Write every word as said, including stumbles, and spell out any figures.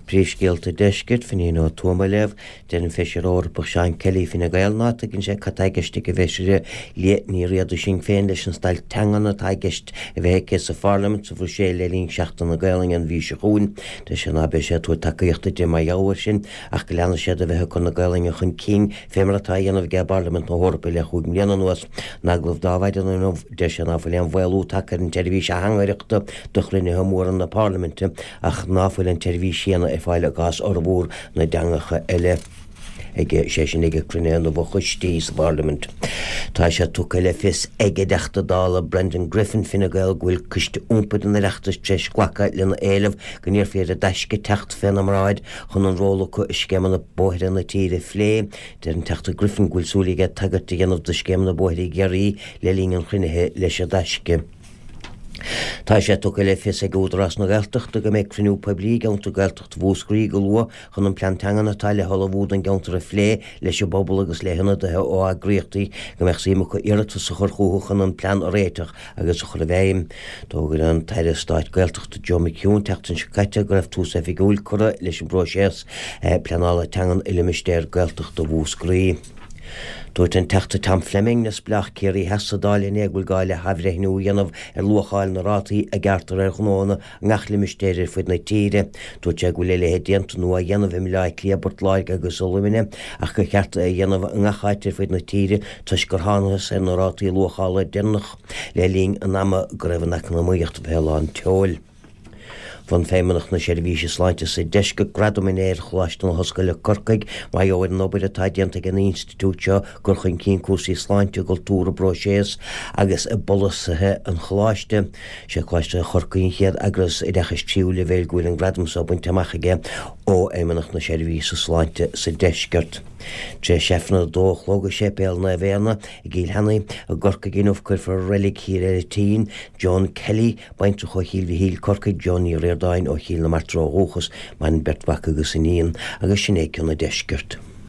Príomhscéalta Deiscirt, Finghin Ó Tuama á léamh, deir an Feisire Eorpach Seán Kelly Fine Gael ná tuigeann sé cad tá i gceist ag an bhFeisire Liadh Ní Riada Sinn Féin leis an stailc teangan atá i gceist a bheith aici sa Pharlaimint sa Bhruiséil le linn Seachtain na Gaelainne an mhí seo chugainn. Deir sé ná beidh sé ag tabhairt tacaíochta di mar gheall air sin ach go leanfaidh sé de bheith ag cur na Gaelainne chun cinn fé mar atá á dhéanamh aige i bParlaimint na hEorpa le chúig mbliana anuas. In agallamh do Adhmhaidin inniu, deir sé ná fuil aon mhaolú tagtha ar an tseirbhís ateangaireachta do chruinnithe móra na Parlaiminte ach ná fuil an tseirbhís chéanna ar fáil i gcás fhormhór na dteangacha eile aige, sé sin ag cruinnithe na bhfochoistí sa bParlaimint. Tá sé tugtha le fios ag an dTeachta Dála Brendan Griffin Fine Gael go bhfuil Coiste Iompair an Oireachtais tar éis glacadh lena éileamh go n-iarrfaí ar an dTaisce teacht féna mbráid chun an ról acu i scéimeanna bóithre na tíre a phlé. Deir an Teachta Griffin go bhfuil súil aige tagairt a dhéanamh do scéimeanna bóithre i gCiarraí le linn an chruinnithe leis an dTaisce. Tá sé tugtha le fios ag Údarás na Gaeltachta go mbeidh cruinniú poiblí i gceantar Gaeltachta Mhúscraí go luath chun an plean teangan atá le hullmhú don gceantar a phlé leis an bpobal agus le hionadaithe ó eagraíochtaí go mbeadh suim acu iarratas a chur chucu chun an plean a réiteach agus a chur i bhfeidhm. D'fhógair an tAire Stáit Gaeltachta Joe McHugh an tseachtain seo caite go raibh tús oifigiúil curtha leis an bpróiseas pleanála teangan i limistéar Gaeltachta Mhúscraí. Dúirt an Teachta Tom Fleming, Neamhspleách Ciarraí Theas sa Dáil inné go bhfuil gá le hathbhreithniú a dhéanamh ar luacháil na rátaí a gearrtar ar ghnóanna i ngach limistéar ar fud na tíre. Dúirt sé go bhfuil a leithéid déanta nó á dhéanamh i mBaile Átha Cliath, Port Láirge agus i Luimneach ach gur cheart é a dhéanamh i ngach áit ar fud na tíre toisc gur thángthas ar na rátaí luachála deireanach le linn an ama go raibh an eacnamaíocht fé lán tseoil. Bhronn Feidhmeannacht na Seirbhíse Sláinte sa Deisceart gradam inné ar Choláiste na hOllscoile Corcaigh mar gheall ar an obair atá déanta ag an institiúid seo i gcur chun cinn cúrsaí sláinte, i gcultúr, i bpróiseas agus i bpolasaithe an choláiste. Sé Coláiste Chorcaí an chéad eagras oideachais tríú leibhéil go bhfuil an gradam seo bainte amach aige ó Fheidhmeannacht na Seirbhíse Sláinte sa Deisceart. Tar éis Aifreann a dó a chlog i Séipéal Naomh Éanna i gCill Cheannaigh i gCorcaigh inniu cuirfear i Reilig Thír Eiritín, Joan Kelly, Baintreach ó Chill Mhichíl, Corcaigh, Joan Ní Ríordáin ó Chill na Martra ó dhúchas, maireann beirt mhac agus iníon, agus sin é cionn an deiscirt.